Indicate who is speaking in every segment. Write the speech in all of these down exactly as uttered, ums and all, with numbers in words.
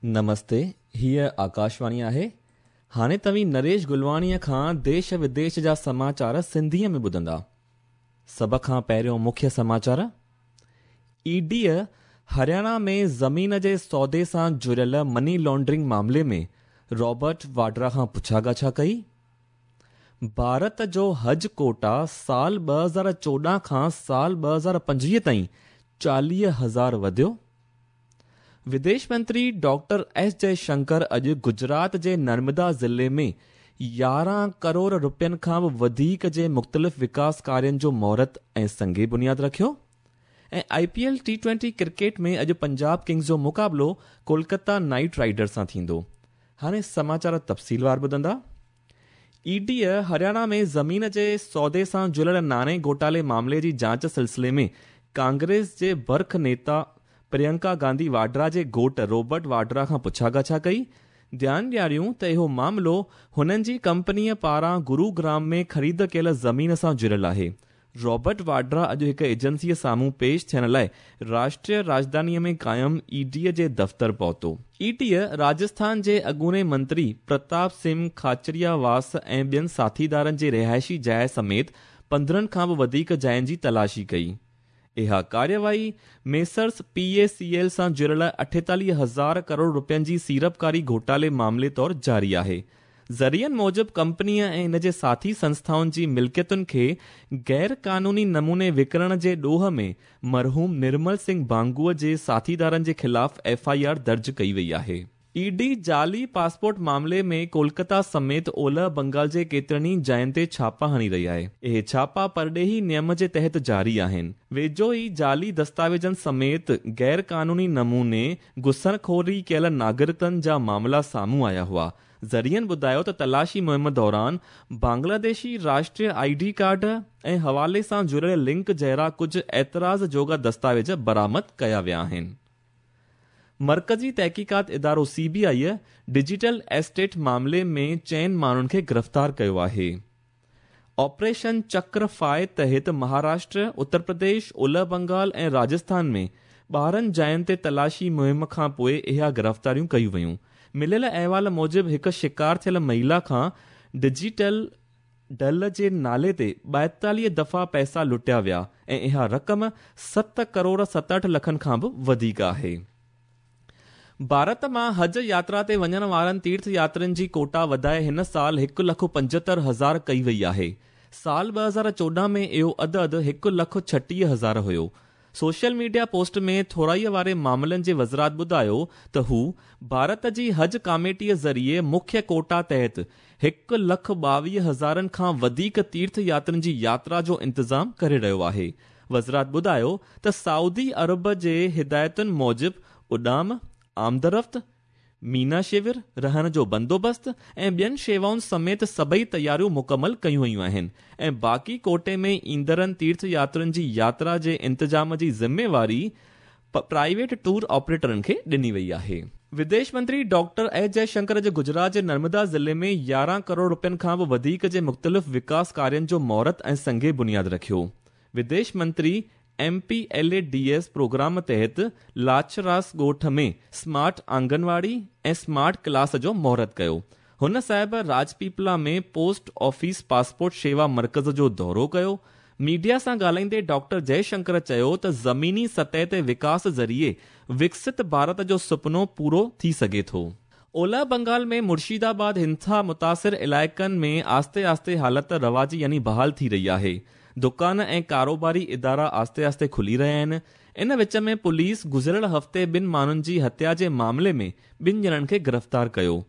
Speaker 1: نمستي، هيء آڪاشواڻي آهي. هاڻي توهين نريش گلواڻيء کان ديش وديش جا سماچار سنڌيء ۾ ٻڌندا. سڀ کان پهريون مکيه سماچار. اي ڊيء هرياڻا ۾ زمين جي سودي سان جڙيل مني لانڊرنگ معاملي ۾ رابرٽ واڊرا کان پڇا ڳاڇا ڪئي. ڀارت جو حج ڪوٽا سال ٻه هزار چوڏهن کان سال ٻه هزار پنجويهه تائين چاليهه هزار وڌيو. وديش منتري ڊاڪٽر ايس جئي شنڪر اڄ گجرات جي نرمدا ضلعي ۾ يارهن ڪروڙ رپين کان به وڌيڪ جي مختلف وڪاس ڪارين جو مهورت ۽ سنگ بنياد رکيو. ۽ I P L T twenty cricket ۾ اڄ پنجاب ڪنگز جو مقابلو ڪولڪتا نائيٽ رائيڊرز سان ٿيندو. هاڻي سماچار تفصيلوار ٻڌندا. اي ڊيء هرياڻا ۾ زمين جي سودي سان جڙيل ناڻي گهوٽالي معاملي جي جاچ سلسلي ۾ ڪانگريس جي برک نيتا پريانڪا گانڌي واڊرا جي گهوٽ رابرٽ واڊرا کان پڇا ڳاڇا ڪئي. ڌيان ڏياريون ته اهو معاملو هنن جي ڪمپنيء پاران گروگرام ۾ خريد ڪيل زمين سان جڙيل آهي. رابرٽ واڊرا اڄ هڪ ايجنسيء سامهون پيش ٿيڻ لاءِ راشٽريه راڄڌانيء ۾ قائم اي ڊيء جي دفتر پهتو. اي ڊيء راجسٿان جي اڳوڻي منتري پرتاپ سنگهه کاچرياواس ۽ ٻين ساٿيدارن جي رهائشي جاءِ سميت پندرهن کان به وڌيڪ جاين جي تلاشي ڪئي. اها ڪارروائي messrs P A C L سان جڙيل اٺيتاليهه هزار ڪروڙ رپين جي سيڙپڪاري گهوٽالي معاملي طور جاري آهي. ذريعن موجب ڪمپنيء ۽ ان جي ساٿي سنسٿائن جي ملڪيتن کي غير قانوني نموني وڪڻڻ جي ڏوهه ۾ مرحوم نرمل سنگهه بانگوءَ جي ساٿيدارن جي خلاف ايف I R درج ڪئي وئي آهي. اي ڊي جعلي پاسپورٽ معاملي ۾ ڪولڪتا سميت اولهه بنگال جي ڪيترن ئي جاين تي ڇاپا هڻي رهي آهي. اهي ڇاپا پرڏيهي نيم جي تحت جاري آهن. ويجهو ئي جعلي دستاويزن سميت غير قانوني نموني گهسخوري ڪيل ناگرڪن جا معاملا سامهون آيا هئا. ذريعن ٻڌايو ته تلاشي مهم دوران Bangladeshi Rashtriya I D card ۽ حوالي سان جڙيل لنڪ جهڙا ڪجهه اعتراض جوڳا دستاويز برآمد ڪيا ويا آهن. مرڪزي تحقيقات ادارو C B I digital estate معاملي ۾ چئن ماڻهن کي گرفتار ڪيو آهي. آپريشن چڪر فائي تحت مهاراشٽر، اتر پرديش، اولهه بنگال ۽ راجسٿان ۾ ٻارهن جاين تي تلاشي مهم کان پوءِ اها گرفتاريون ڪيون ويون. مليل احوال موجب هڪ شڪار ٿيل مهلا کان ڊجيٽل ڊل جي نالي تي ٻائيتاليهه دفعا پئسا لٽيا ويا ۽ اها رقم ست ڪروڙ ستهٺ لکن کان به وڌيڪ آهي. ڀارت مان حج ياترا تي وڃڻ وارن تيرٿ ياترين جي ڪوٽا وڌائي هن سال هڪ لک پنجهتر هزار ڪئي وئي آهي. سال ٻه هزار چوڏهن ۾ اهو عدد هڪ لک ڇٽيهه هزار هيو. سوشل ميڊيا پوسٽ ۾ ٿورائيءَ واري معاملن جي وزارت ٻڌايو ته هو ڀارت جي حج ڪاميٽيءَ ذريعي مکيه ڪوٽا تحت هڪ لک ٻاويهه هزارن کان وڌيڪ تيرٿ ياترين جي ياترا جو انتظام ڪري رهيو آهي. وزارت ٻڌايو ته سعودي عرب جي هدايتن موجب اڏام، آمدرفت، مينا شور، رهڻ جو بندوبست ۽ ٻين شيوائن سميت سڀئي تياريون مڪمل ڪيون ويون آهن ۽ باقي ڪوٽي ۾ ايندڙن تيرٿ ياترين جي ياترا جي انتظام جي ذميواري پرائيويٽ ٽوئر آپريٽرن کي ڏني وئي آهي. وديش منتري ڊاڪٽر ايس جئي شنڪر اڄ گجرات جي نرمدا ضلعي ۾ يارهن ڪروڙ رپين کان به وڌيڪ جي مختلف وڪاس ڪارين جو مهورت ۽ سنگ بنياد رکيو. وديش منتري M P L A D S programme تحت لاڇراس ڳوٺ ۾ اسمارٽ آنگنواڙي ۽ اسمارٽ ڪلاس جو مهورت ڪيو. هن صاحب راجپيپلا ۾ پوسٽ آفيس پاسپورٽ شيوا مرڪز جو دورو ڪيو. ميڊيا سان ڳالهائيندي ڊاڪٽر جئي شنڪر چيو ته زميني سطح تي وڪاس ذريعي وڪست ڀارت جو سپنو پورو ٿي سگهي ٿو. اولهه بنگال ۾ مرشدآباد هنسا متاثر علائقن ۾ آهستي آهستي حالت رواجي يعني بحال ٿي رهي آهي. دڪان ۽ ڪاروباري ادارا آهستي آهستي کلي رهيا آهن. ان وچ ۾ پوليس گذريل هفتي ٻن ماڻهن جي هتيا جي معاملي ۾ ٻن ڄڻن کي گرفتار ڪيو.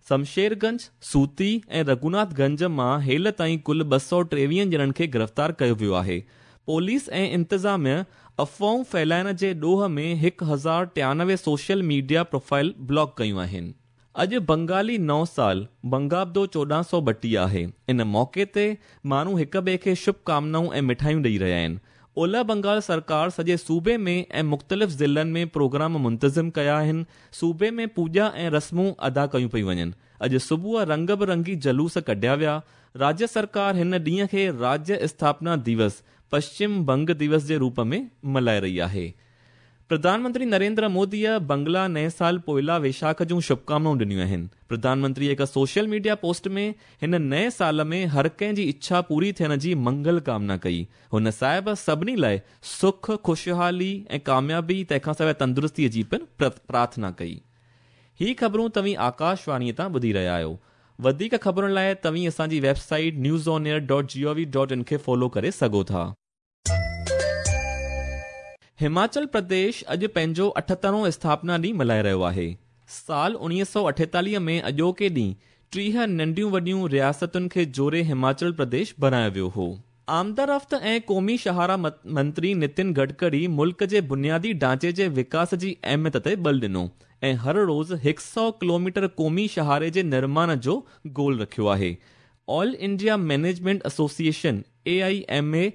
Speaker 1: شمشيرگنج، سوتي ۽ رگهوناٿ گنج مان هيل تائين ڪل ٻه سؤ ٽيويهه ڄڻن کي گرفتار ڪيو ويو آهي. پوليس ۽ انتظاميه افواهون ڦهلائڻ جي ڏوهه ۾ هڪ هزار ٽيانوي سوشل ميڊيا پروفائل بلاڪ ڪيون آهن. اڄ بنگالي نئون سال بنگابدو چوڏهن سؤ ٻٽيهه آهي. ان موقعي تي ماڻهو هڪ ٻئي کي شڀ ڪامنائون ۽ مٺايون ڏيئي رهيا آهن. اولهه بنگال سرڪار سڄي صوبي ۾ ۽ مختلف ضلعن ۾ پروگرام منتظم ڪيا آهن. صوبي ۾ پوڄا ۽ رسمون ادا ڪيون پيون وڃن. اڄ صبح رنگ برنگي جلوس ڪڍيا ويا. راجيه سرڪار هن ڏينهن کي راجيه اسٿاپنا دوس، پشچم بنگ دوس جي روپ ۾ ملهائي رهي آهي. प्रधानमंत्री नरेंद्र मोदीअ बंगला नए साल पोइला वैशाख जूं शुभकामनाऊं ॾिनियूं आहिनि। प्रधानमंत्री हिकु सोशल मीडिया पोस्ट में हिन नए साल में हर कंहिं जी इच्छा पूरी थियण जी मंगल कामना कई। हुन साहिब सभिनी लाइ सुख, ख़ुशहाली ऐं कामयाबी तंहिंखां सवाइ तंदुरुस्तीअ जी पिणु प्रार्थना कई। ही ख़बरूं तव्हीं आकाशवाणीअ तां ॿुधी रहिया आहियो। वधीक ख़बरुनि लाइ तव्हीं असांजी website news on air dot G O V dot in खे फॉलो करे सघो था। हिमाचल प्रदेश अॼु पंहिंजो अठहतरों स्थापना ॾींहुं मल्हाए रहियो आहे। साल उणिवीह सौ अठेतालीह में अॼोके ॾींहुं टीह नंढियूं वॾियूं रियासतुनि खे जोड़े हिमाचल प्रदेश बणायो वियो हो। आमदरफ़्त ऐं क़ौमी शाहरा मंत्री नितिन गडकरी मुल्क जे बुनियादी ढांचे जे विकास जी अहमियत ते बल ॾिनो ऐं हर रोज़ हिकु सौ किलोमीटर क़ौमी शाहरे जे निर्माण जो गोल रखियो आहे। All India management association A I M A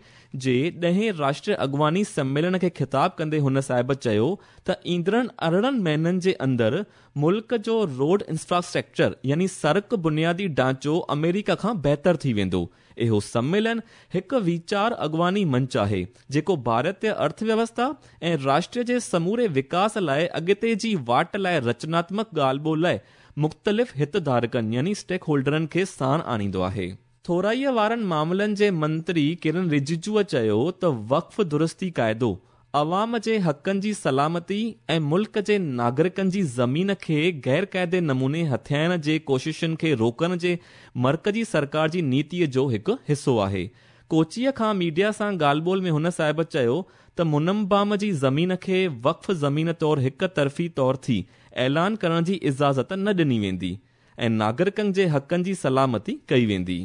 Speaker 1: जे ॾहें राष्ट्रीय अॻुवानी सम्मेलन खे ख़िताब कंदे हुन साहिब चयो त ईंदड़नि अरिड़हं महीननि जे अंदरि मुल्क जो रोड इंफ्रास्ट्रक्चर यानी सड़क बुनियादी ढांचो अमेरिका खां बहितर थी वेंदो। इहो सम्मेलन हिकु वीचार अॻुवानी मंच आहे जेको भारतीय अर्थव्यवस्था ऐं राष्ट्र जे समूरे विकास लाइ अॻिते जी वाट लाइ रचनात्मक ॻाल्हि ॿोल लाइ मुख़्तलिफ़ हितधारकनि यानी स्टेक होल्डरनि खे साण आणींदो आहे। थोराईअ वारनि मामलनि जे मंत्री किरण रिजिजूअ चयो त वक़्फ़ दुरुस्ती काइदो अवाम जे हक़नि जी सलामती ऐं मुल्क जे नागरिकनि जी ज़मीन खे गैर क़ाइदे नमूने हथियाइण जे कोशिशुनि खे रोकण जे मर्कज़ी सरकार जी नीतीअ जो हिकु हिसो आहे। कोचीअ खां मीडिया सां ॻाल्हि ॿोल में हुन साहिब चयो त मुनम्बाम जी ज़मीन खे वक़्फ़ ज़मीन तौर हिकु तरफ़ी तौर थी ऐलान करण जी इजाज़त न ॾिनी वेंदी ऐं नागरिकनि जे हक़नि जी सलामती कई वेंदी।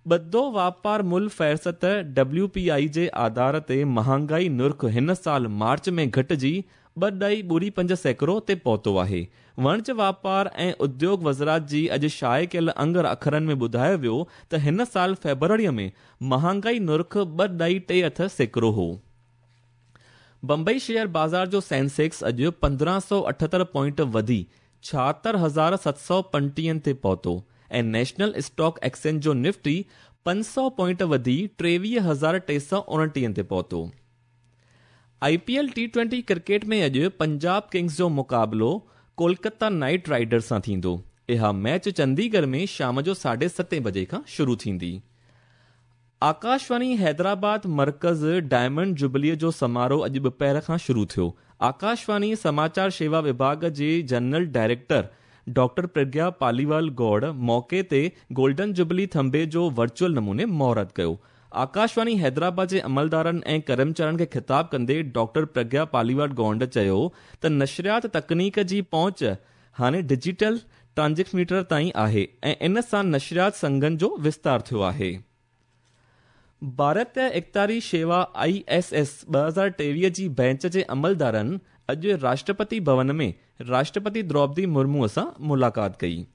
Speaker 1: ॿधो वापार मुल फ़हरिस्त डब्ल्यू पी I जे आधार ते महांगाई नुर्ख हिन साल मार्च में घटिजी ॿ ॾाई ॿुड़ी पंज सैकड़ो ते पहुतो आहे। वणिज वापार ऐं उद्योग वज़ारत जी अॼु शाये कयल अंग अखरनि में ॿुधायो वियो त हिन साल फ़ेब्रुअरीअ में महांगाई नुर्ख ॿ ॾाई टे अठ सैकड़ो हो। बंबई शेयर बाज़ार जो सेंसेक्स अॼु पंद्रहं सौ अठहतरि पॉइंट वधी छाहतरि हज़ार सत सौ पंटीहनि ते पहुतो ऐं नेशनल स्टॉक एक्सचेंज जो निफ्टी पंज सौ पॉइंट वधी टेवीह हज़ार टे सौ उणटीहनि ते पहुतो। I P L T twenty cricket में अॼु पंजाब किंग्स जो मुक़ाबिलो कोलकाता नाइट राइडर्स सां थींदो। इहा मैच चंडीगढ़ में शाम जो साढे सतें बजे खां शुरू थींदी। आकाशवाणी हैदराबाद मर्कज़ डायमंड जुबलीअ जो समारोह अॼु ॿुपहर खां शुरू थियो। आकाशवाणी समाचार शेवा विभाग जे general director doctor Pragya Paliwal Gaur मौक़े ते गोल्डन जुबली थंबे जो वर्चुअल नमूने मुहूर्त कयो। आकाशवाणी हैदराबाद जे अमलदारनि ऐं कर्मचारियुनि खे ख़िताब कंदे डॉक्टर प्रज्ञा पालीवाल गौड़ चयो त नशरियात तकनीक जी पहुंच हाणे डिजिटल ट्रांसमीटर ताईं आहे ऐं इन सां नशरियात संघनि जो विस्तार थियो आहे। भारतीय इख़्तियारी शेवा I S S ॿ हज़ार टेवीह जी बेंच जे अमलदारनि अॼु राष्ट्रपति भवन में राष्ट्रपति द्रौपदी मुर्मूअ सां मुलाक़ात कई।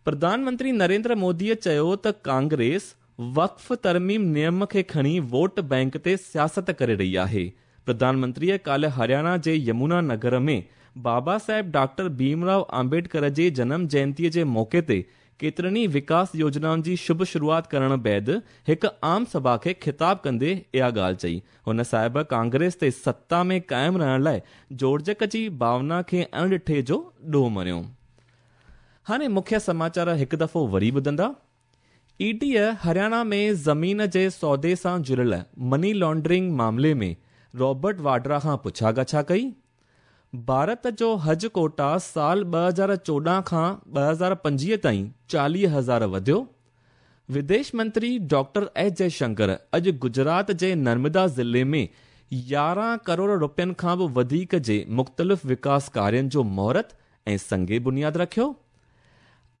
Speaker 1: प्रधानमंत्री नरेंद्र मोदीअ चयो त कांग्रेस वक़्फ़ तरमीम नियम खे खणी वोट बैंक ते सियासत करे रही आहे। प्रधानमंत्रीअ काल्ह हरियाणा जे यमुना नगर में बाबा साहेब डॉक्टर भीमराव आंबेडकर जे जनम जयंतीअ जे मौक़े ते केतिरनि ई विकास योजनाउनि जी शुभ शुरूआत करण बैद हिकु आम सभा खे ख़िताब कंदे इहा ॻाल्हि चई। हुन साहिब कांग्रेस ते सत्ता में क़ाइमु रहण लाइ जोड़जक जी भावना खे अणॾिठे जो ॾोह मणियो। हाणे मुख्य समाचार हिकु दफ़ो वरी ॿुधंदा। ईडीअ हरियाणा में ज़मीन जे सौदे सां जुड़ियल मनी लॉन्ड्रिंग मामले में रॉबर्ट वाड्रा खां पुछा ॻाछा कई। भारत जो हज कोटा साल ॿ हज़ार चोॾहं खां ॿ हज़ार पंजवीह ताईं चालीह हज़ार वधियो। विदेश मंत्री डॉक्टर एस जयशंकर अॼु गुजरात जे नर्मदा ज़िले में यारहं करोड़ रुपयनि खां बि वधीक जे मुख़्तलिफ़ विकास कार्यनि जो मुहूर्त ऐं संगे बुनियाद रखियो।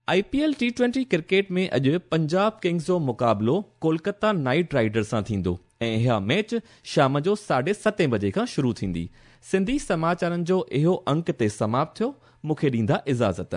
Speaker 1: I P L T twenty cricket में अॼु पंजाब किंग्स जो मुक़ाबिलो कोलकाता नाइट राइडर्स सां थींदो ऐं इहा मैच शाम जो साढे सतें बजे खां शुरू थींदी। सिंधी समाचारनि जो इहो अंक ते समाप्त थियो। मूंखे ॾींदा इजाज़त।